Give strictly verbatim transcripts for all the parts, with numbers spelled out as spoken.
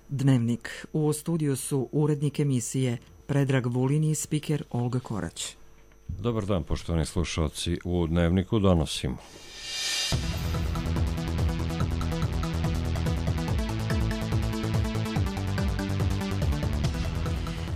Dnevnik. U studiju su urednik emisije Predrag Vulin i spiker Olga Korać. Dobar dan, poštovani slušalci. U Dnevniku donosimo.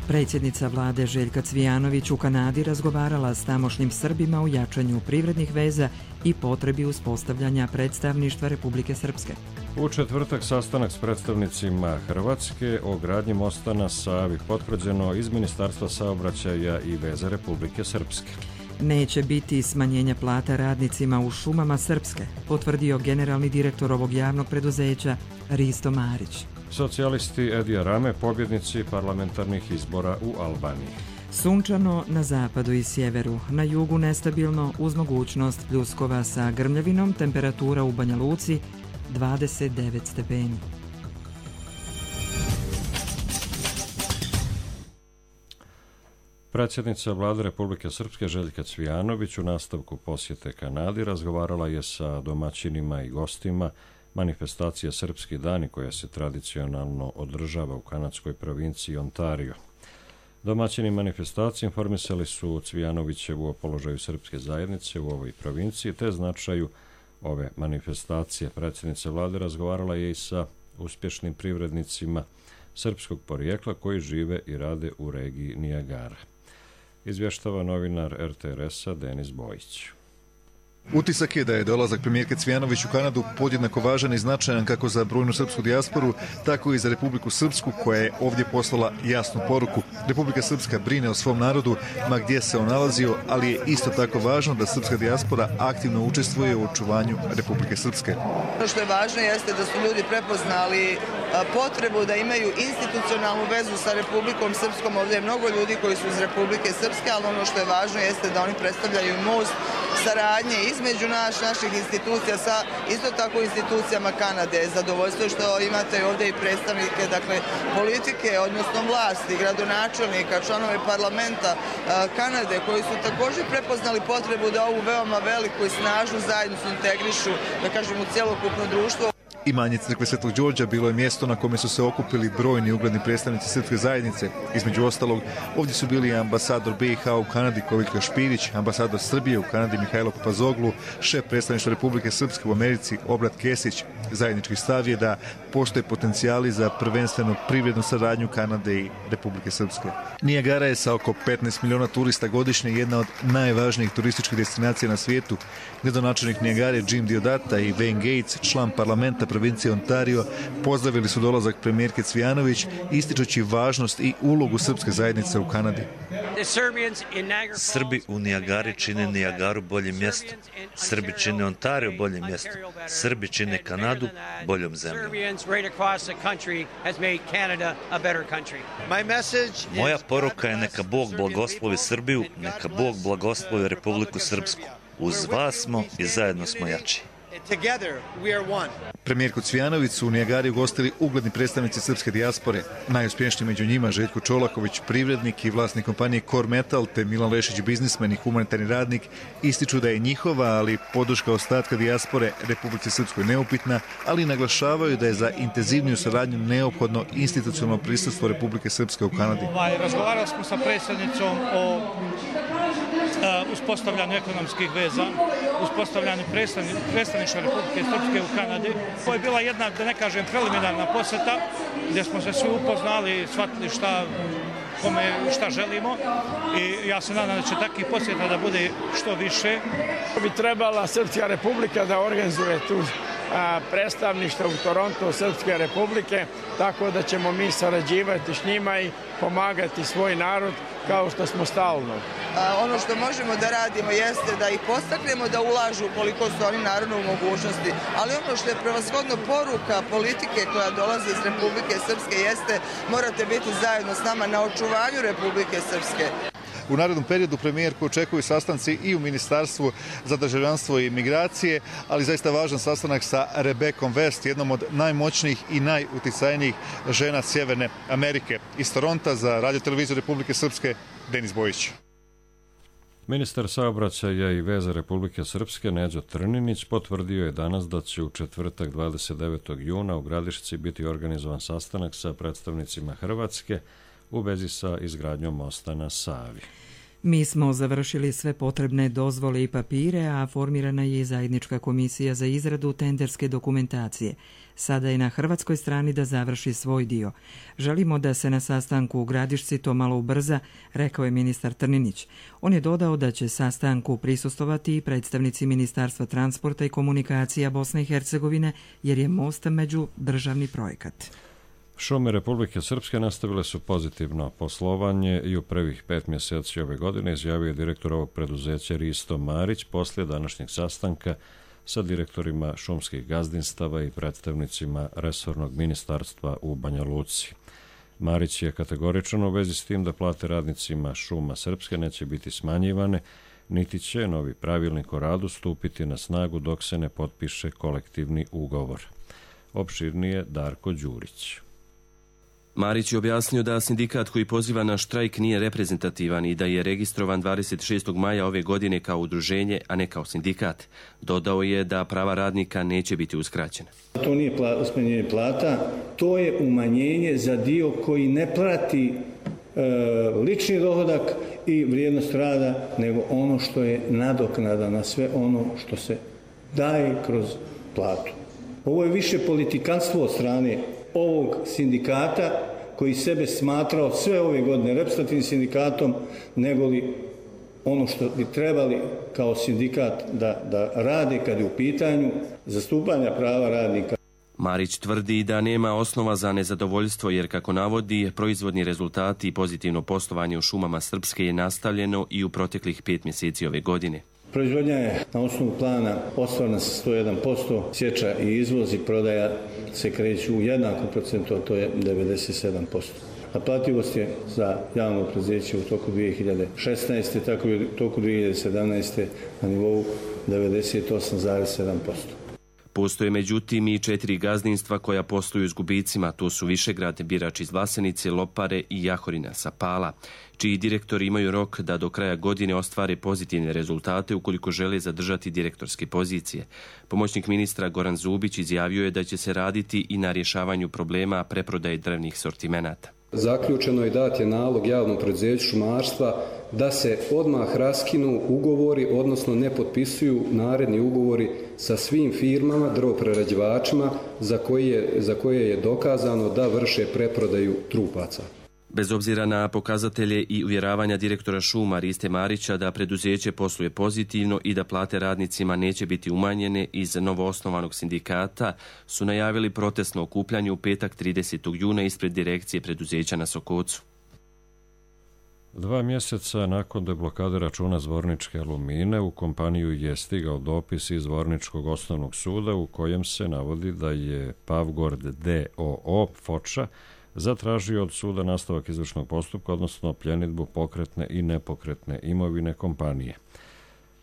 Predsjednica vlade Željka Cvijanović u Kanadi razgovarala s tamošnjim Srbima o jačanju privrednih veza i potrebi uspostavljanja predstavništva Republike Srpske. U četvrtak sastanak s predstavnicima Hrvatske o gradnji mosta na Savi, potvrđeno iz Ministarstva saobraćaja i veza Republike Srpske. Neće biti smanjenja plata radnicima u šumama Srpske, potvrdio generalni direktor ovog javnog preduzeća Risto Marić. Socijalisti Edija Rame pobjednici parlamentarnih izbora u Albaniji. Sunčano na zapadu i sjeveru, na jugu nestabilno uz mogućnost pljuskova sa grmljavinom, temperatura u Banja Luci dvadeset devet stepeni. Predsjednica vlade Republike Srpske Željka Cvijanović u nastavku posjete Kanadi razgovarala je sa domaćinima i gostima manifestacije Srpski dani koja se tradicionalno održava u kanadskoj provinciji Ontario. Domaćini manifestacije informisali su Cvijanovićevu o položaju srpske zajednice u ovoj provinciji te značaju ove manifestacije. Predsjednica vlade razgovarala je i sa uspješnim privrednicima srpskog porijekla koji žive i rade u regiji Nijagara. Izvještava novinar er te er es-a Denis Bojić. Utisak je da je dolazak premijerke Cvijanović u Kanadu podjednako važan i značajan kako za brojnu srpsku dijasporu, tako i za Republiku Srpsku koja je ovdje poslala jasnu poruku. Republika Srpska brine o svom narodu, ma gdje se on nalazio, ali je isto tako važno da srpska dijaspora aktivno učestvuje u očuvanju Republike Srpske. Ono što je važno jeste da su ljudi prepoznali potrebu da imaju institucionalnu vezu sa Republikom Srpskom. Ovdje je mnogo ljudi koji su iz Republike Srpske, ali ono što je važno jeste da oni predstavljaju most saradnje između naš, naših institucija sa isto tako institucijama Kanade. Zadovoljstvo što imate ovdje i predstavnike dakle, politike, odnosno vlasti, gradonačelnika, članove parlamenta Kanade koji su također prepoznali potrebu da ovu veoma veliku i snažnu zajednicu integrišu, da kažem, u cjelokupno društvo. Imanje crkve Svetog Đorđa bilo je mjesto na kome su se okupili brojni ugledni predstavnici srpske zajednice. Između ostalog, ovdje su bili ambasador be i ha u Kanadi Koviljka Špirić, ambasador Srbije u Kanadi Mihajlo Papazoglu, šef predstavništva Republike Srpske u Americi Obrat Kesić. Zajednički stav je da postoje potencijali za prvenstveno privrednu saradnju Kanade i Republike Srpske. Nijagara je sa oko petnaest miliona turista godišnje jedna od najvažnijih turističkih destinacija na svijetu. Gradonačelnik Nijagare Jim Diodata i Wayne Gates, član parlamenta provincije Ontario, pozdravili su dolazak premijerke Cvijanović, ističući važnost i ulogu srpske zajednice u Kanadi. Srbi u Nijagari čine Nijagaru boljim mjestom. Srbi čine Ontario boljim mjestom. Srbi čine Kanadu boljom zemljom. Moja poruka je neka Bog blagoslovi Srbiju, neka Bog blagoslovi Republiku Srpsku. Uz vas smo i zajedno smo jači. Premijerku Cvijanović su u Nijagari ugostili ugledni predstavnici srpske dijaspore. Najuspješniji među njima Željko Čolaković, privrednik i vlasnik kompanije Core Metal, te Milan Lešić, biznismen i humanitarni radnik, ističu da je njihova, ali podrška ostatka dijaspore Republici Srpskoj neupitna, ali naglašavaju da je za intenzivniju saradnju neophodno institucionalno prisustvo Republike Srpske u Kanadi. Razgovarali smo sa predsjednicom o uspostavljanju ekonomskih veza, uspostavljanju predstavništva Republike Srpske u Kanadi. Ovo je bila jedna, da ne kažem, preliminarna posjeta gdje smo se svi upoznali, shvatili šta, kome, šta želimo i ja se nadam da će takvih posjeta da bude što više. Bi trebala Srpska Republika da organizuje tu predstavništvo u Torontu Srpske Republike, tako da ćemo mi sarađivati s njima i pomagati svoj narod kao što smo stalno. Ono što možemo da radimo jeste da ih postaknemo da ulažu koliko su oni naravno u mogućnosti, ali ono što je prevashodno poruka politike koja dolazi iz Republike Srpske jeste morate biti zajedno s nama na očuvanju Republike Srpske. U narednom periodu premijerku očekuju sastanci i u Ministarstvu za državljanstvo i migracije, ali zaista važan sastanak sa Rebekom West, jednom od najmoćnijih i najuticajnijih žena Sjeverne Amerike. Iz Toronta za Radio televiziju Republike Srpske, Denis Bojić. Ministar saobraćaja i veza Republike Srpske Neđo Trninić potvrdio je danas da će u četvrtak dvadeset devetog juna u Gradišci biti organizovan sastanak sa predstavnicima Hrvatske u vezi sa izgradnjom mosta na Savi. Mi smo završili sve potrebne dozvole i papire, a formirana je i zajednička komisija za izradu tenderske dokumentacije. Sada je na hrvatskoj strani da završi svoj dio. Želimo da se na sastanku u Gradišci to malo ubrza, rekao je ministar Trninić. On je dodao da će sastanku prisustvovati i predstavnici Ministarstva transporta i komunikacija Bosne i Hercegovine, jer je most međudržavni projekat. Šume Republike Srpske nastavile su pozitivno poslovanje i u prvih pet mjeseci ove godine, izjavio je direktor ovog preduzeća Risto Marić poslije današnjeg sastanka sa direktorima šumskih gazdinstava i predstavnicima resornog ministarstva u Banja Luci. Marić je kategoričan u vezi s tim da plate radnicima šuma Srpske neće biti smanjivane, niti će novi pravilnik o radu stupiti na snagu dok se ne potpiše kolektivni ugovor. Opširnije Darko Đurić. Marić je objasnio da sindikat koji poziva na štrajk nije reprezentativan i da je registrovan dvadeset šestog maja ove godine kao udruženje, a ne kao sindikat. Dodao je da prava radnika neće biti uskraćena. To nije smanjenje plata, to je umanjenje za dio koji ne prati e, lični dohodak i vrijednost rada, nego ono što je nadoknada na sve ono što se daje kroz platu. Ovo je više politikanstvo od strane ovog sindikata koji sebe smatrao sve ove godine reprezentativnim sindikatom, nego li ono što bi trebali kao sindikat da, da rade kad je u pitanju zastupanja prava radnika. Marić tvrdi da nema osnova za nezadovoljstvo jer, kako navodi, proizvodni rezultati i pozitivno poslovanje u šumama Srpske je nastavljeno i u proteklih pet mjeseci ove godine. Proizvodnja je na osnovu plana ostvarena sa sto jedan posto, sječa i izvoz i prodaja se kreću u jednakom procentu, a to je devedeset sedam posto. Naplativost je za javno preduzeće u toku dvije hiljade šesnaeste. tako i u toku dvije hiljade sedamnaeste. na nivou devedeset osam zarez sedam posto. Postoje međutim i četiri gazdinstva koja posluju s gubicima, to su Višegrad, Birač iz Vlasenice, Lopare i Jahorina sa Pala, čiji direktori imaju rok da do kraja godine ostvare pozitivne rezultate ukoliko žele zadržati direktorske pozicije. Pomoćnik ministra Goran Zubić izjavio je da će se raditi i na rješavanju problema preprodaje drvnih sortimenata. Zaključeno je dat je nalog javnom preduzeću šumarstva da se odmah raskinu ugovori, odnosno ne potpisuju naredni ugovori sa svim firmama, drvoprerađivačima za koje je, za koje je dokazano da vrše preprodaju trupaca. Bez obzira na pokazatelje i uvjeravanja direktora šuma Riste Marića da preduzeće posluje pozitivno i da plate radnicima neće biti umanjene iz novoosnovanog sindikata, su najavili protestno okupljanje u petak tridesetog juna ispred direkcije preduzeća na Sokocu. Dva mjeseca nakon deblokade računa Zvorničke Alumine u kompaniju je stigao dopis iz Zvorničkog osnovnog suda u kojem se navodi da je Pavgord d o o Foča zatražio od suda nastavak izvršnog postupka, odnosno pljenidbu pokretne i nepokretne imovine kompanije.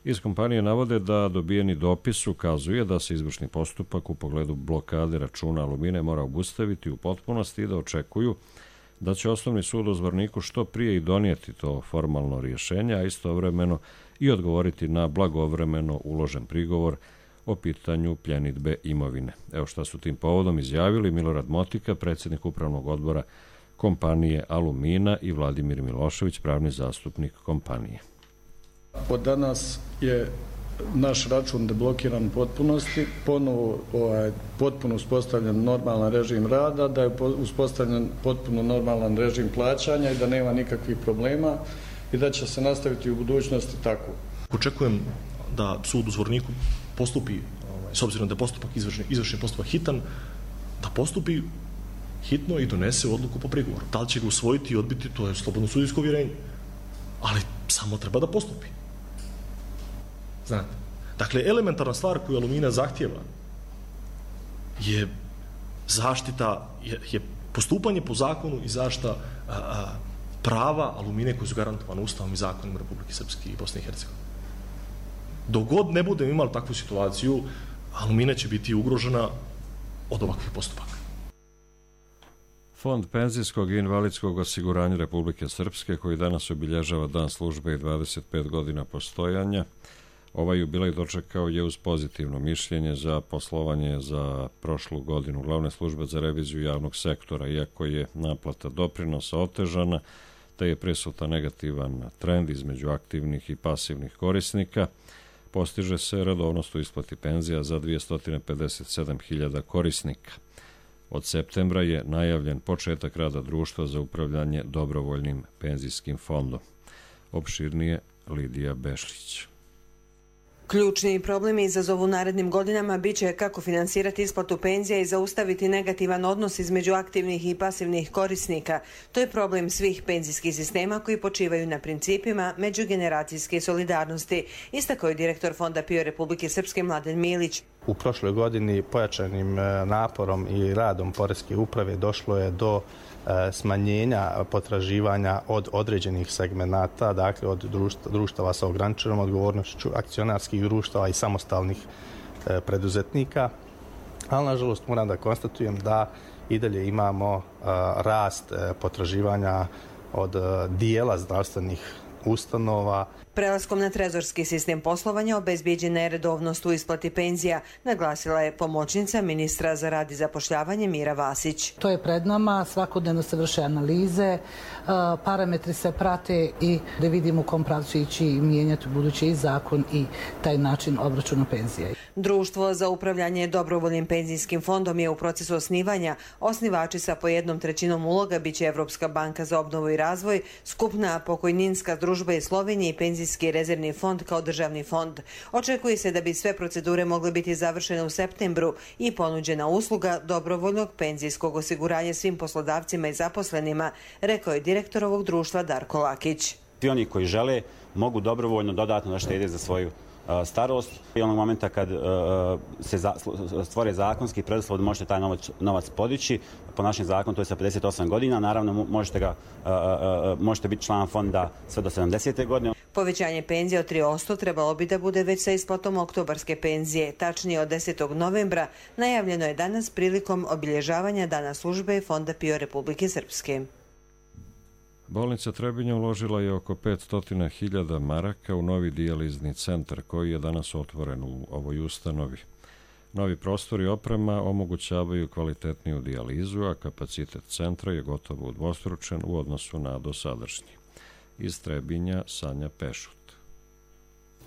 Iz kompanije navode da dobijeni dopis ukazuje da se izvršni postupak u pogledu blokade računa Alumine mora obustaviti u potpunosti i da očekuju da će osnovni sud u Zvorniku što prije i donijeti to formalno rješenje, a istovremeno i odgovoriti na blagovremeno uložen prigovor o pitanju pljenidbe imovine. Evo šta su tim povodom izjavili Milorad Motika, predsjednik upravnog odbora kompanije Alumina, i Vladimir Milošević, pravni zastupnik kompanije. Od danas je naš račun deblokiran u potpunosti, ponovo ovaj, potpuno uspostavljen normalan režim rada, da je uspostavljen potpuno normalan režim plaćanja i da nema nikakvih problema i da će se nastaviti u budućnosti tako. Očekujem da sud u Zvorniku postupi, s obzirom da je postupak izvršni, izvršni postupak hitan, da postupi hitno i donese odluku po prigovoru. Da li će ga usvojiti i odbiti, to je slobodno sudijsko uvjerenje. Ali samo treba da postupi. Znate, dakle, elementarna stvar koju Alumina zahtjeva je zaštita, je, je postupanje po zakonu i zaštita a, a, prava Alumine koje su garantovane Ustavom i zakonom Republike Srpske i Bosne i Hercegovine. Dok god ne budemo imali takvu situaciju, Alumina će biti ugrožena od ovakvih postupaka. Fond penzijskog i invalidskog osiguranja Republike Srpske, koji danas obilježava dan službe i dvadeset pet godina postojanja, ovaj jubilej dočekao je uz pozitivno mišljenje za poslovanje za prošlu godinu Glavne službe za reviziju javnog sektora, iako je naplata doprinosa otežana, te je prisutan negativan trend između aktivnih i pasivnih korisnika. Postiže se redovnost u isplati penzija za dvjesto pedeset sedam hiljada korisnika. Od septembra je najavljen početak rada društva za upravljanje dobrovoljnim penzijskim fondom. Opširnije Lidija Bešlić. Ključni problemi izazovu narednim godinama bit će kako finansirati isplatu penzija i zaustaviti negativan odnos između aktivnih i pasivnih korisnika. To je problem svih penzijskih sistema koji počivaju na principima međugeneracijske solidarnosti, istakao je direktor Fonda P I O Republike Srpske Mladen Milić. U prošloj godini pojačanim naporom i radom Poreske uprave došlo je do smanjenja potraživanja od određenih segmenata, dakle od društava sa ograničenom odgovornošću, akcionarskih društava i samostalnih preduzetnika. Ali, nažalost, moram da konstatujem da i dalje imamo rast potraživanja od dijela zdravstvenih ustanova. Prelaskom na trezorski sistem poslovanja obezbijeđena je redovnost u isplati penzija, naglasila je pomoćnica ministra za rad i zapošljavanje Mira Vasić. To je pred nama, svakodnevno se vrše analize, parametri se prate i da vidimo u kom pravcu ići i mijenjati budući i zakon i taj način obračuna penzija. Društvo za upravljanje dobrovoljnim penzijskim fondom je u procesu osnivanja. Osnivači sa po jednom trećinom uloga biće Evropska banka za obnovu i razvoj, Skupna pokojninska družba iz Slovenije i Penzijski rezervni fond kao državni fond. Očekuje se da bi sve procedure mogle biti završene u septembru i ponuđena usluga dobrovoljnog penzijskog osiguranja svim poslodavcima i zaposlenima, rekao je direktor ovog društva Darko Lakić. Svi oni koji žele mogu dobrovoljno dodatno da štede za svoju starost i onog momenta kad se stvore zakonski preduslov da možete taj novac podići. Po našem zakonu to je sa pedeset osam godina. Naravno možete, ga, možete biti član fonda sve do sedamdesete godine. Povećanje penzije od tri posto trebalo bi da bude već sa isplatom oktobarske penzije. Tačnije od desetog novembra najavljeno je danas prilikom obilježavanja Dana službe Fonda P I O Republike Srpske. Bolnica Trebinje uložila je oko petsto hiljada maraka u novi dijalizni centar koji je danas otvoren u ovoj ustanovi. Novi prostori i oprema omogućavaju kvalitetniju dijalizu, a kapacitet centra je gotovo udvostručen u odnosu na dosadašnji. Iz Trebinja Sanja Pešut.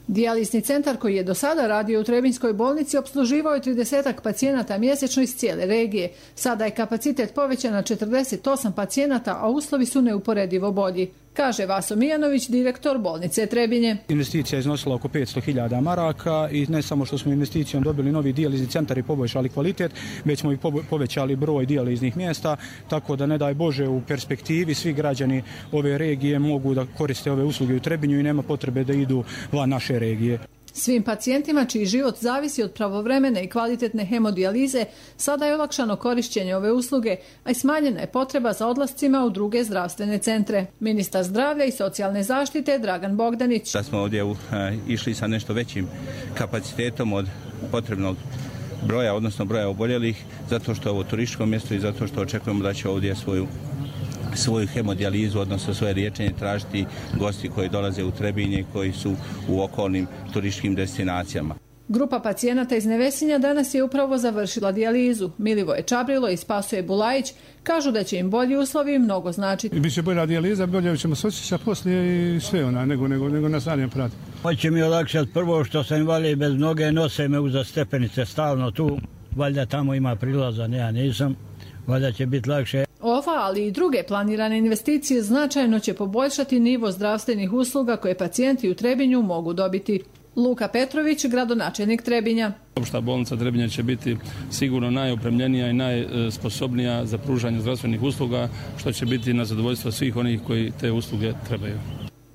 Dijalizni centar koji je do sada radio u Trebinjskoj bolnici opsluživao je tridesetak pacijenata mjesečno iz cijele regije. Sada je kapacitet povećan na četrdeset osam pacijenata, a uslovi su neuporedivo bolji, kaže Vaso Mijanović, direktor bolnice Trebinje. Investicija je iznosila oko petsto hiljada maraka i ne samo što smo investicijom dobili novi dijalizni centar i poboljšali kvalitet, već smo i povećali broj dijaliznih mjesta, tako da ne daj Bože u perspektivi svi građani ove regije mogu da koriste ove usluge u Trebinju i nema potrebe da idu van naše regije. Svim pacijentima čiji život zavisi od pravovremene i kvalitetne hemodijalize sada je olakšano korišćenje ove usluge, a i smanjena je potreba za odlascima u druge zdravstvene centre. Ministar zdravlja i socijalne zaštite Dragan Bogdanić. Da smo ovdje uh, išli sa nešto većim kapacitetom od potrebnog broja, odnosno broja oboljelih, zato što je ovo turističko mjesto i zato što očekujemo da će ovdje svoju svoju hemodijalizu, odnosno svoje liječenje tražiti gosti koji dolaze u Trebinje, koji su u okolnim turističkim destinacijama. Grupa pacijenata iz Nevesinja danas je upravo završila dijalizu. Milivoje Čabrilo i Spasoje Bulajić kažu da će im bolji uslovi mnogo značiti. Biće bolja dijaliza, bolje ćemo se osjećati poslije i sve ona, nego, nego, nego na stadion prati. Hoće mi olakšati prvo što sam invalid bez noge, nose me uza stepenice stalno tu, valjda tamo ima prilaza, ja nisam, valjda će biti lakše. Ova, ali i druge planirane investicije značajno će poboljšati nivo zdravstvenih usluga koje pacijenti u Trebinju mogu dobiti. Luka Petrović, gradonačelnik Trebinja. Opšta bolnica Trebinja će biti sigurno najopremljenija i najsposobnija za pružanje zdravstvenih usluga, što će biti na zadovoljstvo svih onih koji te usluge trebaju.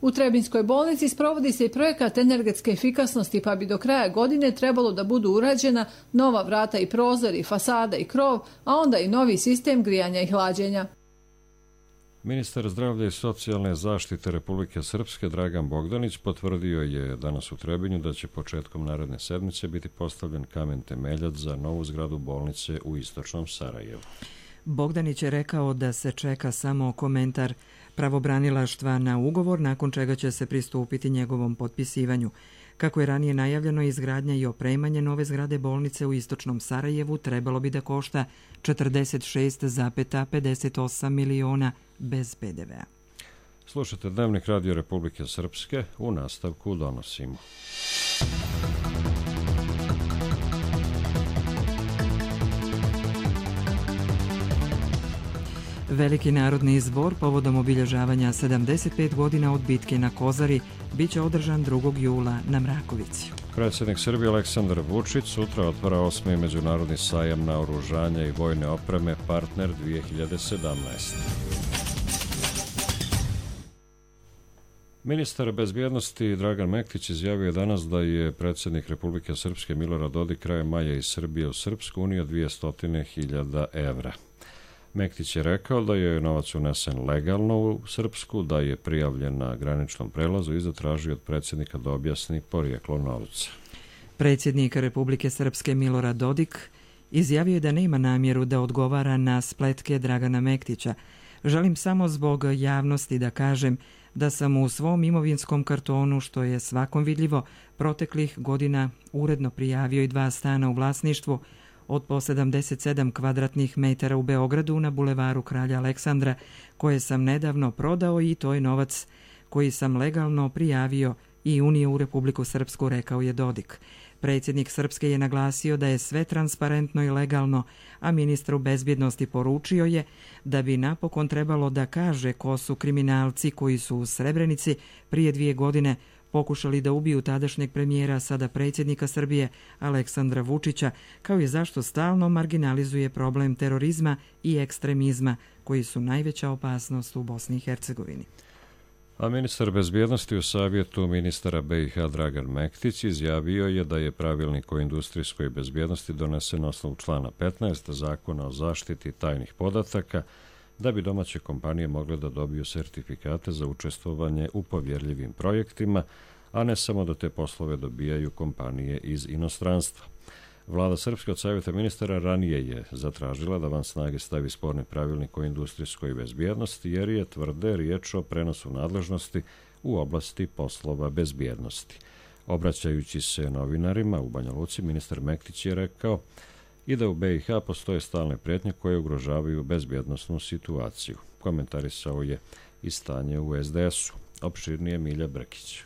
U Trebinjskoj bolnici sprovodi se i projekat energetske efikasnosti, pa bi do kraja godine trebalo da budu urađena nova vrata i prozori, fasada i krov, a onda i novi sistem grijanja i hlađenja. Ministar zdravlja i socijalne zaštite Republike Srpske Dragan Bogdanić potvrdio je danas u Trebinju da će početkom naredne sedmice biti postavljen kamen temeljac za novu zgradu bolnice u istočnom Sarajevu. Bogdanić je rekao da se čeka samo komentar pravobranilaštva na ugovor, nakon čega će se pristupiti njegovom potpisivanju. Kako je ranije najavljeno, izgradnja i opremanje nove zgrade bolnice u istočnom Sarajevu trebalo bi da košta četrdeset šest zarez pedeset osam miliona bez pe de vea. Slušajte Dnevnik Radio Republike Srpske, u nastavku donosimo. Veliki narodni zbor povodom obilježavanja sedamdeset pet godina od bitke na Kozari biće održan drugog jula na Mrakovici. Predsjednik Srbije Aleksandar Vučić sutra otvara osmi međunarodni sajam naoružanja i vojne opreme Partner dvije hiljade sedamnaest. Ministar bezbjednosti Dragan Mektić izjavio danas da je predsjednik Republike Srpske Milorad Dodik krajem maja iz Srbije u Srpsku unio dvjesto hiljada evra. Mektić je rekao da je novac unesen legalno u Srpsku, da je prijavljen na graničnom prelazu i zatražio od predsjednika da objasni porijeklo novca. Predsjednik Republike Srpske Milorad Dodik izjavio je da nema namjeru da odgovara na spletke Dragana Mektića. Želim samo zbog javnosti da kažem da sam u svom imovinskom kartonu, što je svakom vidljivo, proteklih godina uredno prijavio i dva stana u vlasništvu od po sedamdeset sedam kvadratnih metara u Beogradu na bulevaru Kralja Aleksandra, koje sam nedavno prodao i to je novac koji sam legalno prijavio i unio u Republiku Srpsku, rekao je Dodik. Predsjednik Srpske je naglasio da je sve transparentno i legalno, a ministru bezbjednosti poručio je da bi napokon trebalo da kaže ko su kriminalci koji su u Srebrenici prije dvije godine pokušali da ubiju tadašnjeg premijera, sada predsjednika Srbije, Aleksandra Vučića, kao i zašto stalno marginalizuje problem terorizma i ekstremizma, koji su najveća opasnost u Bosni i Hercegovini. A ministar bezbjednosti u savjetu ministara be i ha Dragan Mektić izjavio je da je pravilnik o industrijskoj bezbjednosti donesen na osnovu člana petnaest Zakona o zaštiti tajnih podataka, da bi domaće kompanije mogle da dobiju sertifikate za učestvovanje u povjerljivim projektima, a ne samo da te poslove dobijaju kompanije iz inostranstva. Vlada Srpske od savjeta ministara ranije je zatražila da van snage stavi sporni pravilnik o industrijskoj bezbjednosti, jer je, tvrde, riječ o prenosu nadležnosti u oblasti poslova bezbjednosti. Obraćajući se novinarima u Banja Luci, ministar Mektić je rekao i da u be i ha postoje stalne prijetnje koje ugrožavaju bezbjednosnu situaciju. Komentarisao je i stanje u es de esu. Opširnije Milja Brkić.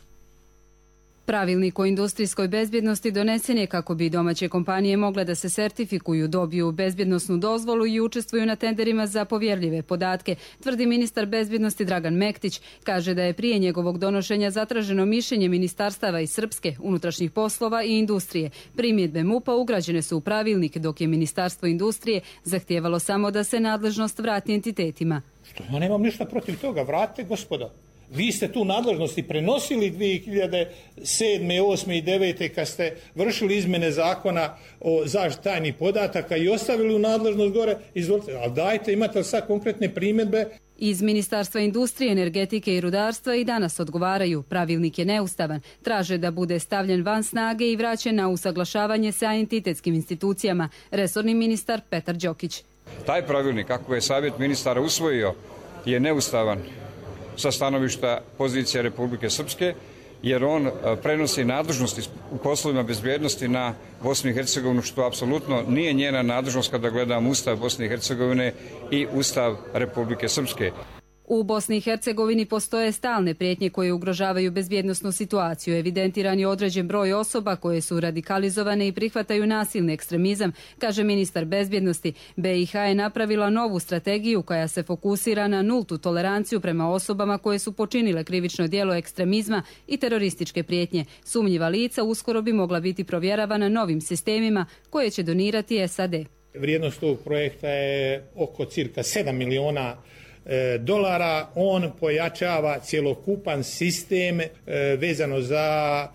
Pravilnik o industrijskoj bezbjednosti donesen je kako bi domaće kompanije mogle da se sertifikuju, dobiju bezbjednosnu dozvolu i učestvuju na tenderima za povjerljive podatke, tvrdi ministar bezbjednosti Dragan Mektić. Kaže da je prije njegovog donošenja zatraženo mišljenje ministarstava iz Srpske, unutrašnjih poslova i industrije. Primjedbe mupa ugrađene su u pravilnik, dok je Ministarstvo industrije zahtijevalo samo da se nadležnost vrati entitetima. Što ja nemam ništa protiv toga, vratite gospoda. Vi ste tu nadležnosti prenosili dvije hiljade sedme, osme i devete kad ste vršili izmjene zakona o zaštiti tajnih podataka i ostavili u nadležnost gore, izvolite, ali dajte, imate li sad konkretne primjedbe? Iz Ministarstva industrije, energetike i rudarstva i danas odgovaraju. Pravilnik je neustavan. Traže da bude stavljen van snage i vraćen na usaglašavanje sa entitetskim institucijama. Resorni ministar Petar Đokić. Taj pravilnik, kako je savjet ministara usvojio, je neustavan sa stanovišta pozicije Republike Srpske, jer on prenosi nadležnosti u poslovima bezbjednosti na Bosnu i Hercegovinu, što apsolutno nije njena nadležnost kada gledamo Ustav Bosne i Hercegovine i Ustav Republike Srpske. U Bosni i Hercegovini postoje stalne prijetnje koje ugrožavaju bezbjednosnu situaciju. Evidentiran je određen broj osoba koje su radikalizovane i prihvataju nasilni ekstremizam, kaže ministar bezbjednosti. be i ha je napravila novu strategiju koja se fokusira na nultu toleranciju prema osobama koje su počinile krivično djelo ekstremizma i terorističke prijetnje. Sumnjiva lica uskoro bi mogla biti provjeravana novim sistemima koje će donirati es a de. Vrijednost tog projekta je oko cirka sedam miliona dolara. On pojačava cjelokupan sistem vezano za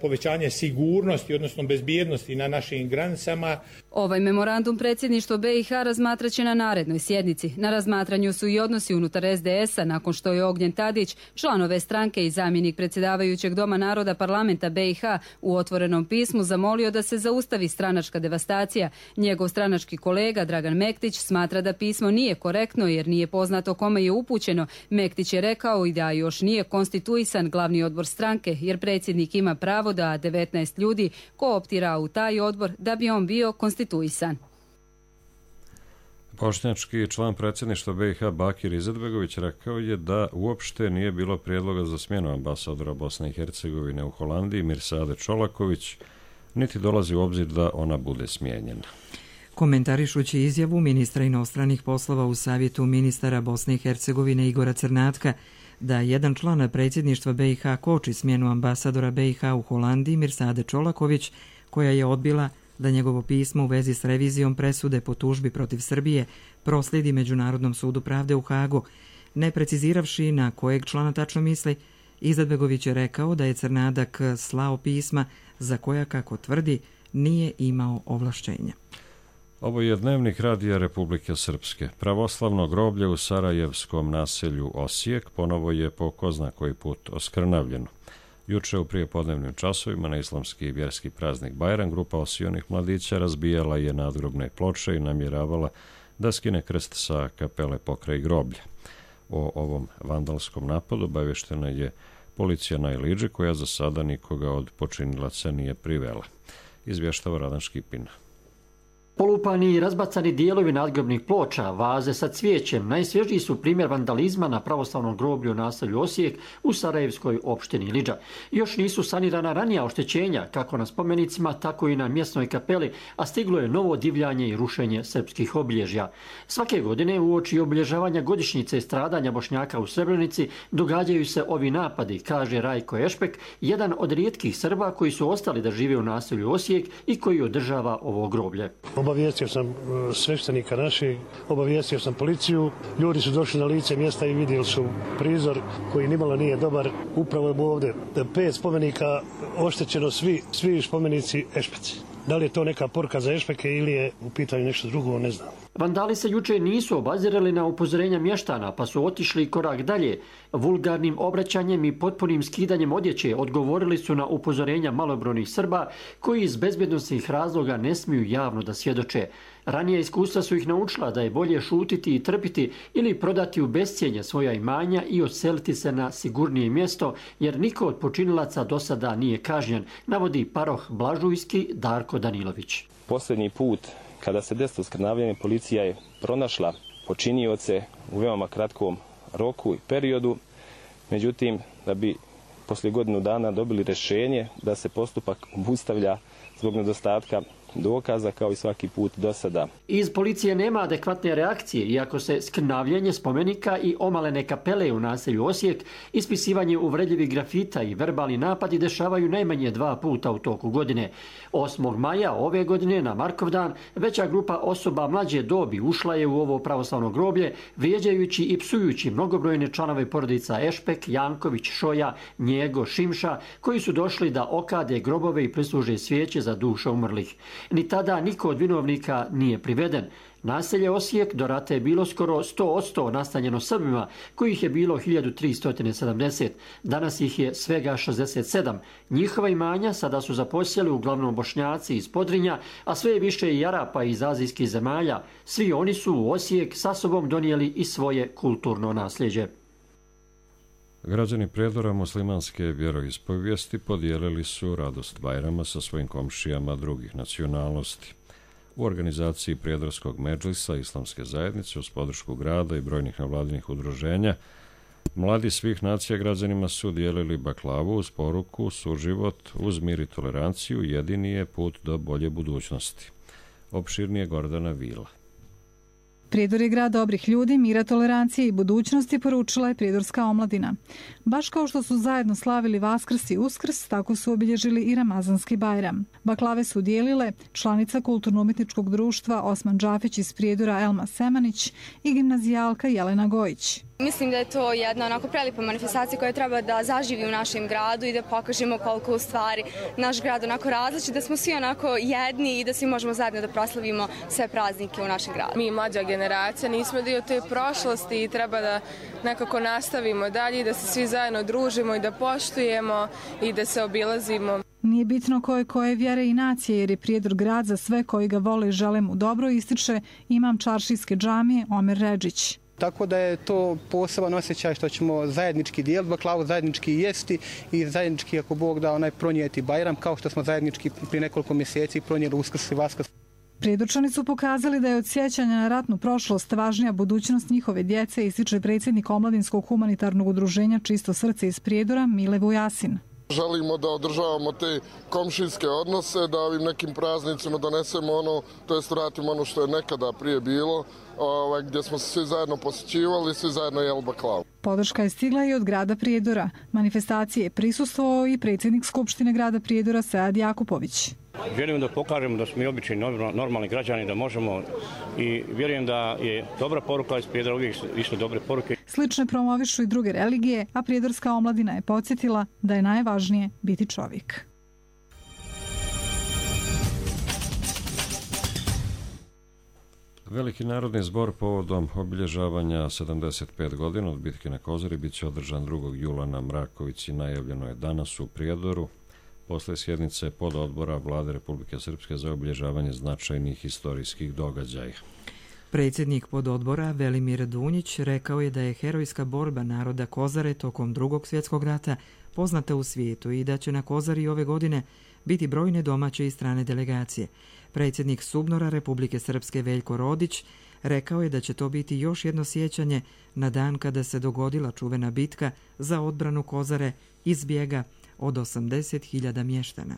povećanje sigurnosti, odnosno bezbjednosti na našim granicama. Ovaj memorandum predsjedništvo B i H razmatraće na narednoj sjednici. Na razmatranju su i odnosi unutar S D S-a nakon što je Ognjen Tadić, član ove stranke i zamjenik predsjedavajućeg Doma naroda parlamenta B i H u otvorenom pismu zamolio da se zaustavi stranačka devastacija. Njegov stranački kolega Dragan Mektić smatra da pismo nije korektno jer nije poznato kome je upućeno. Mektić je rekao i da još nije konstituisan glavni odbor stranke jer predsjednik ima pravo da devetnaest ljudi kooptira u taj odbor da bi on bio konstituisan. Bošnjački član predsjedništva B i H Bakir Izetbegović rekao je da uopšte nije bilo prijedloga za smjenu ambasadora Bosne i Hercegovine u Holandiji Mirsade Čolaković, niti dolazi u obzir da ona bude smijenjena. Komentarišući izjavu ministra inostranih poslova u savjetu ministara Bosne i Hercegovine Igora Crnatka da jedan član predsjedništva B i H koči smjenu ambasadora B i H u Holandiji Mirsade Čolaković, koja je odbila da njegovo pismo u vezi s revizijom presude po tužbi protiv Srbije proslijedi Međunarodnom sudu pravde u Hagu. Ne preciziravši na kojeg člana tačno misli, Izetbegović je rekao da je Crnadak slao pisma za koja, kako tvrdi, nije imao ovlašćenja. Ovo je dnevnik Radija Republike Srpske. Pravoslavno groblje u sarajevskom naselju Osijek ponovo je po ko zna koji put oskrnavljeno. Juče u prijepodnevnim časovima na islamski i vjerski praznik Bajram grupa osijonih mladića razbijala je nadgrobne ploče i namjeravala da skine krst sa kapele pokraj groblja. O ovom vandalskom napadu obavještena je policija na Iliđi, koja za sada nikoga od počinilaca nije privela. Izvještava Radan Škipin. Polupani i razbacani dijelovi nadgrobnih ploča, vaze sa cvijećem, najsvježiji su primjer vandalizma na pravoslavnom groblju u naselju Osijek u sarajevskoj opštini Iliđa. Još nisu sanirana ranija oštećenja, kako na spomenicima, tako i na mjesnoj kapeli, a stiglo je novo divljanje i rušenje srpskih obilježja. Svake godine uoči obilježavanja godišnjice stradanja Bošnjaka u Srebrenici događaju se ovi napadi, kaže Rajko Ešpek, jedan od rijetkih Srba koji su ostali da žive u naselju Osijek i koji održava ovo groblje. Obavijestio sam sveštenika našeg, obavijestio sam policiju, ljudi su došli na lice mjesta i vidjeli su prizor koji nimalo nije dobar. Upravo je ovdje pet spomenika oštećeno, svi, svi spomenici Ešpeci. Da li je to neka poruka za Ešpeke ili je u pitanju nešto drugo, ne znam. Vandali se juče nisu obazirali na upozorenja mještana, pa su otišli korak dalje. Vulgarnim obraćanjem i potpunim skidanjem odjeće odgovorili su na upozorenja malobrojnih Srba koji iz bezbjednosnih razloga ne smiju javno da svjedoče. Ranije iskustva su ih naučila da je bolje šutiti i trpiti ili prodati u bescijenje svoja imanja i odseliti se na sigurnije mjesto, jer niko od počinilaca do sada nije kažnjen, navodi paroh Blažujski Darko Danilović. Posljednji put kada se desilo skrnavljanje, policija je pronašla počinioce u veoma kratkom roku i periodu, međutim da bi poslije godinu dana dobili rješenje da se postupak obustavlja zbog nedostatka dokaza kao i svaki put do sada. Iz policije nema adekvatne reakcije, iako se skrnavljenje spomenika i omalene kapele u naselju Osijek, ispisivanje uvredljivih grafita i verbalni napadi dešavaju najmanje dva puta u toku godine. osmog maja ove godine na Markovdan veća grupa osoba mlađe dobi ušla je u ovo pravoslavno groblje, vrijeđajući i psujući mnogobrojne članove porodica Ešpek, Janković, Šoja, Njego, Šimša, koji su došli da okade grobove i prisluže svijeće za duše umrlih. Ni tada niko od vinovnika nije priveden. Naselje Osijek do rata je bilo skoro sto posto nastanjeno Srbima, kojih je bilo hiljadu tristo sedamdeset. Danas ih je svega šezdeset sedam. Njihova imanja sada su zaposjeli uglavnom Bošnjaci iz Podrinja, a sve je više i Arapa iz azijskih zemalja. Svi oni su u Osijek sa sobom donijeli i svoje kulturno nasljeđe. Građani Prijedora muslimanske vjeroispovijesti podijelili su radost Bajrama sa svojim komšijama drugih nacionalnosti. U organizaciji Prijedorskog medžlisa Islamske zajednice uz podršku grada i brojnih nevladinih udruženja, mladi svih nacija građanima su dijelili baklavu uz poruku suživot uz mir i toleranciju jedini je put do bolje budućnosti. Opširnije Gordana Vila. Prijedor je grad dobrih ljudi, mira, tolerancije i budućnosti, poručila je prijedorska omladina. Baš kao što su zajedno slavili Vaskrs i Uskrs, tako su obilježili i Ramazanski Bajram. Baklave su dijelile članica kulturno-umjetničkog društva Osman Džafić iz Prijedora Elma Semanić i gimnazijalka Jelena Gojić. Mislim da je to jedna onako prelipa manifestacija koja treba da zaživi u našem gradu i da pokažemo koliko u stvari naš grad onako različit, da smo svi onako jedni i da svi možemo zajedno da proslavimo sve praznike u našem gradu. Mi, mlađa generacija, nismo dio te prošlosti i treba da nekako nastavimo dalje i da se svi zajedno družimo i da poštujemo i da se obilazimo. Nije bitno koje koje vjere i nacije, jer je Prijedor grad za sve koji ga vole i žele mu dobro, ističe imam čaršijske džamije Omer Redžić. Tako da je to poseban osjećaj što ćemo zajednički dijeliti baklavu, zajednički jesti i zajednički, ako Bog da, onaj pronijeti Bajram, kao što smo zajednički prije nekoliko mjeseci pronijeli Uskrs i Vaskrs. Prijedorčani su pokazali da je od sjećanja na ratnu prošlost važnija budućnost njihove djece, ističe predsjednik Omladinskog humanitarnog udruženja Čisto srce iz Prijedora Mile Vujasin. Želimo da održavamo te komšijske odnose, da ovim nekim praznicima donesemo ono, to jest vratimo ono što je nekada prije bilo, ovaj, gdje smo se svi zajedno posjećivali, svi zajedno jeli baklavu. Podrška je stigla i od grada Prijedora. Manifestacije je prisustvovao i predsjednik Skupštine grada Prijedora Sead Jakupović. Vjerujem da pokažemo da smo i obični normalni građani, da možemo, i vjerujem da je dobra poruka iz Prijedora, uvijek išle dobre poruke. Slične promovišu i druge religije, a prijedorska omladina je podsjetila da je najvažnije biti čovjek. Veliki narodni zbor povodom obilježavanja sedamdeset pet godina od bitke na Kozari bit će održan drugog jula na Mrakovici, najavljeno je danas u Prijedoru, posle sjednice pododbora Vlade Republike Srpske za obilježavanje značajnih historijskih događaja. Predsjednik pododbora Velimir Dunjić rekao je da je herojska borba naroda Kozare tokom drugog svjetskog rata poznata u svijetu i da će na Kozari ove godine biti brojne domaće i strane delegacije. Predsjednik Subnora Republike Srpske Veljko Rodić rekao je da će to biti još jedno sjećanje na dan kada se dogodila čuvena bitka za odbranu Kozare iz bijega od osamdeset hiljada mještana.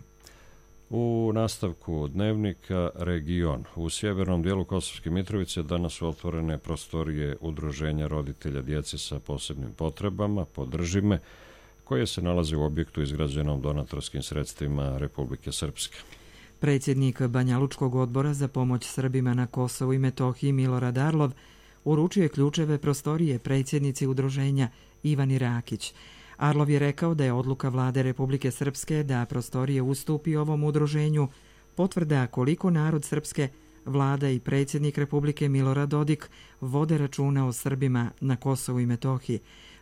U nastavku dnevnika Region. U sjevernom dijelu Kosovske Mitrovice danas su otvorene prostorije Udruženja roditelja djece sa posebnim potrebama, Podržime, koje se nalaze u objektu izgrađenom donatorskim sredstvima Republike Srpske. Predsjednik Banjalučkog odbora za pomoć Srbima na Kosovu i Metohiji Milorad Arlov uručio je ključeve prostorije predsjednici udruženja Ivani Rakić. Arlov je rekao da je odluka Vlade Republike Srpske da prostorije ustupi ovom udruženju potvrda koliko narod Srpske, Vlada i predsjednik Republike Milorad Dodik vode računa o Srbima na Kosovu i Metohiji.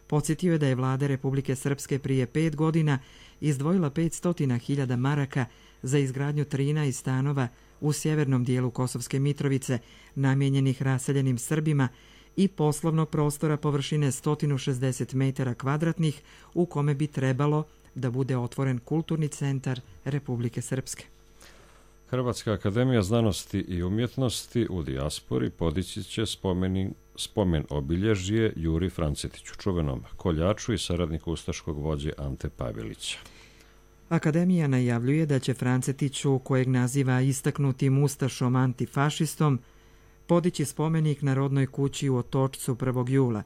Podsjetio je da je Vlada Republike Srpske prije pet godina izdvojila petsto hiljada maraka za izgradnju trinaest stanova u sjevernom dijelu Kosovske Mitrovice namijenjenih raseljenim Srbima i poslovnog prostora površine sto šezdeset metara kvadratnih u kome bi trebalo da bude otvoren kulturni centar Republike Srpske. Hrvatska akademija znanosti i umjetnosti u dijaspori podići će spomen, spomen obilježje Juri Francetiću, čuvenom koljaču i saradniku ustaškog vođe Ante Pavelića. Akademija najavljuje da će Francetiću, kojeg naziva istaknutim ustašom antifašistom, podići spomenik na rodnoj kući u Otočcu prvog jula.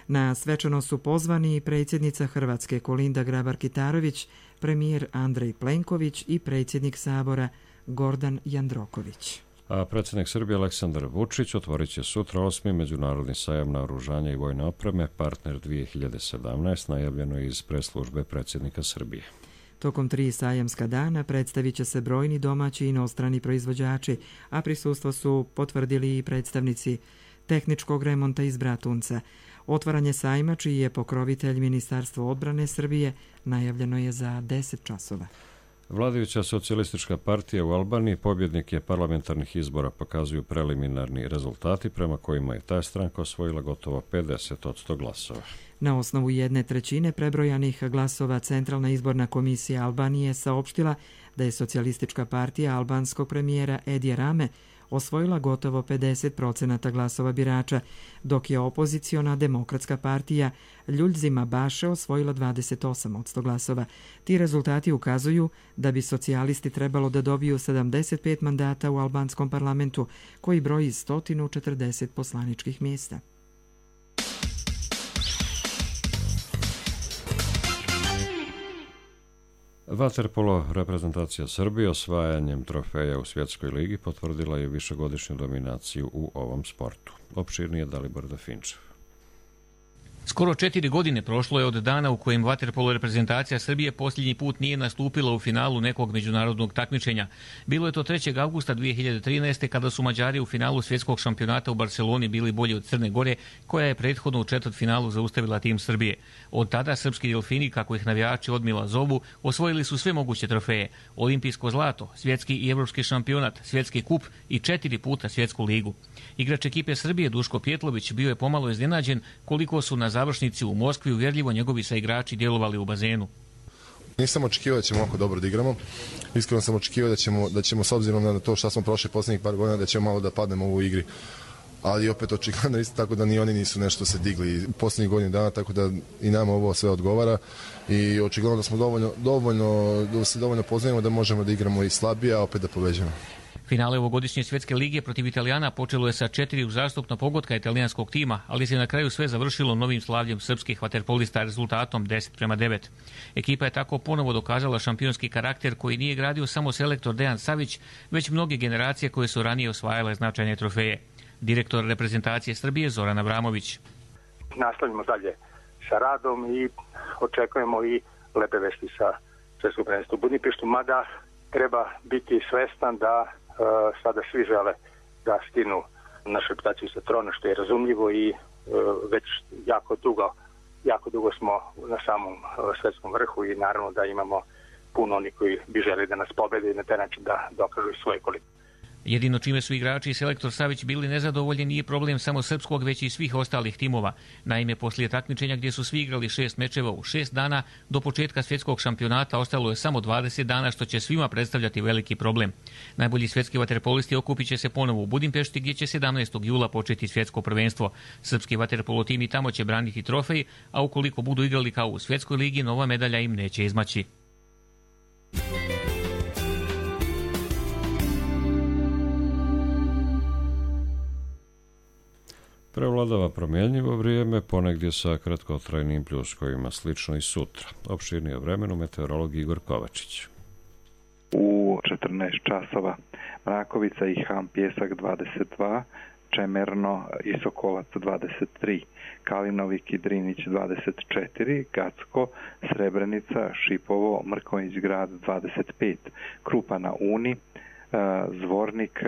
Na svečanost su pozvani i predsjednica Hrvatske Kolinda Grabar-Kitarović, premijer Andrej Plenković i predsjednik Sabora Gordan Jandroković. A predsjednik Srbije Aleksandar Vučić otvorit će sutra osmi međunarodni sajam naoružanja i vojne opreme Partner dvije hiljade sedamnaest, najavljeno iz press-službe predsjednika Srbije. Tokom tri sajamska dana predstavit će se brojni domaći i inostrani proizvođači, a prisustvo su potvrdili i predstavnici tehničkog remonta iz Bratunca. Otvaranje sajma, čiji je pokrovitelj Ministarstvo odbrane Srbije, najavljeno je za deset časova. Vladajuća socijalistička partija u Albaniji pobjednik je parlamentarnih izbora, pokazuju preliminarni rezultati prema kojima je ta stranka osvojila gotovo pedeset posto glasova. Na osnovu jedne trećine prebrojanih glasova Centralna izborna komisija Albanije saopštila da je socijalistička partija albanskog premijera Edija Rame osvojila gotovo pedeset procenata glasova birača, dok je opoziciona demokratska partija Ljuljzima Baše osvojila dvadeset osam posto glasova. Ti rezultati ukazuju da bi socijalisti trebalo da dobiju sedamdeset pet mandata u albanskom parlamentu, koji broji sto četrdeset poslaničkih mjesta. Vaterpolo reprezentacija Srbije osvajanjem trofeja u Svjetskoj ligi potvrdila je višegodišnju dominaciju u ovom sportu. Opširnije Dalibor Dafinčev. Skoro četiri godine prošlo je od dana u kojem vaterpolo reprezentacija Srbije posljednji put nije nastupila u finalu nekog međunarodnog takmičenja. Bilo je to trećeg avgusta dvije hiljade trinaeste. kada su Mađari u finalu svjetskog šampionata u Barceloni bili bolji od Crne Gore, koja je prethodno u četvrtfinalu zaustavila tim Srbije. Od tada srpski delfini, kako ih navijači odmila zovu, osvojili su sve moguće trofeje: olimpijsko zlato, svjetski i evropski šampionat, svjetski kup i četiri puta svjetsku ligu. Igrač ekipe Srbije Duško Pjetlović bio je pomalo iznenađen koliko su na završnici u Moskvi uvjerljivo njegovi saigrači djelovali u bazenu. Nisam očekivao da ćemo ovako dobro da igramo. Iskreno sam očekivao da ćemo, da ćemo s obzirom na to što smo prošli posljednjih par godina, da ćemo malo da padnemo u igri. Ali opet očigledno isto tako da ni oni nisu nešto se digli u posljednjih godina dana, tako da i nama ovo sve odgovara i očigledno da smo dovoljno, dovoljno, da se dovoljno poznajemo da možemo da igramo i slabije, a opet da pobeđamo. Finale ovogodišnje svjetske lige protiv Italijana počelo je sa četiri uzastopna pogotka italijanskog tima, ali se na kraju sve završilo novim slavljem srpskih vaterpolista rezultatom deset prema devet. Ekipa je tako ponovo dokazala šampionski karakter koji nije gradio samo selektor Dejan Savić, već mnoge generacije koje su ranije osvajale značajne trofeje. Direktor reprezentacije Srbije Zoran Abramović. Nastavljamo dalje sa radom i očekujemo i lepe vesti sa svjetskog prvenstva u Budimpeštu, mada treba biti svestan da Uh, sada svi žele da skinu našu reputaciju sa trona, što je razumljivo i uh, već jako dugo, jako dugo smo na samom uh, svjetskom vrhu i naravno da imamo puno oni koji bi želi da nas pobede i na taj način da dokažu svoje kvalitetu. Jedino čime su igrači i selektor Savić bili nezadovoljni nije problem samo srpskog, već i svih ostalih timova. Naime, poslije takmičenja gdje su svi igrali šest mečeva u šest dana, do početka svjetskog šampionata ostalo je samo dvadeset dana, što će svima predstavljati veliki problem. Najbolji svjetski vaterpolisti okupit će se ponovo u Budimpešti, gdje će sedamnaestog jula početi svjetsko prvenstvo. Srpski vaterpolo tim i tamo će braniti trofej, a ukoliko budu igrali kao u svjetskoj ligi, nova medalja im neće izmaći. Prevladava promjenjivo vrijeme, ponegdje sa kratkotrajnim pljuskovima, slično i sutra. Opširnije o vremenu meteorolog Igor Kovačić. U četrnaest časova Mrakovica i Ham Pjesak dvadeset dva, Čemerno i Sokolac dvadeset tri, Kalinovik i Drinić dvadeset četiri, Gacko, Srebrenica, Šipovo, Mrkonjić grad dvadeset pet, Krupa na Uni, Zvornik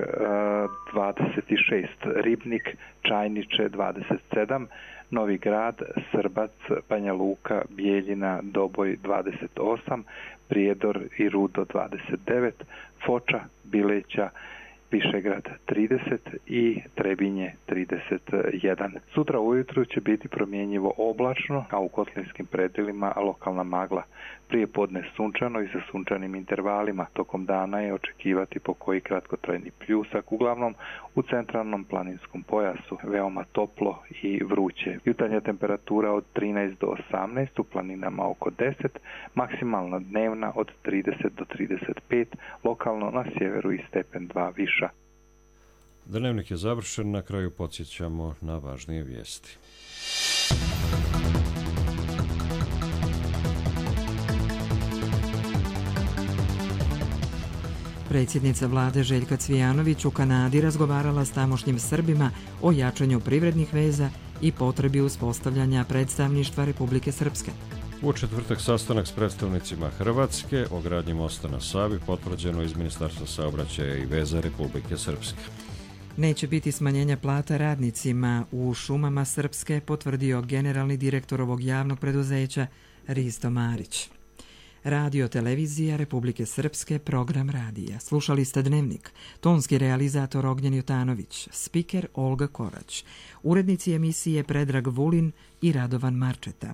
dvadeset šest, Ribnik, Čajniče dvadeset sedam, Novi Grad, Srbac, Banja Luka, Bijeljina, Doboj dvadeset osam, Prijedor i Rudo dvadeset devet, Foča, Bileća, Višegrad trideset i Trebinje trideset jedan. Sutra ujutru će biti promjenjivo oblačno, a u kotlinskim predjelima lokalna magla. Prije podne sunčano i sa sunčanim intervalima. Tokom dana je očekivati po koji kratkotrajni pljusak, uglavnom u centralnom planinskom pojasu, veoma toplo i vruće. Jutarnja temperatura od trinaest do osamnaest, u planinama oko deset, maksimalna dnevna od trideset do trideset pet, lokalno na sjeveru i stepen dva viša. Dnevnik je završen, na kraju podsjećamo na važnije vijesti. Predsjednica vlade Željka Cvijanović u Kanadi razgovarala s tamošnjim Srbima o jačanju privrednih veza i potrebi uspostavljanja predstavništva Republike Srpske. U četvrtak sastanak s predstavnicima Hrvatske o gradnji mosta na Savi, potvrđeno iz Ministarstva saobraćaja i veza Republike Srpske. Neće biti smanjenja plata radnicima u šumama Srpske, potvrdio generalni direktor ovog javnog preduzeća Risto Marić. Radio televizija Republike Srpske, program radija. Slušali ste Dnevnik. Tonski realizator Ognjen Jutanović, spiker Olga Korać, urednici emisije Predrag Vulin i Radovan Marčeta.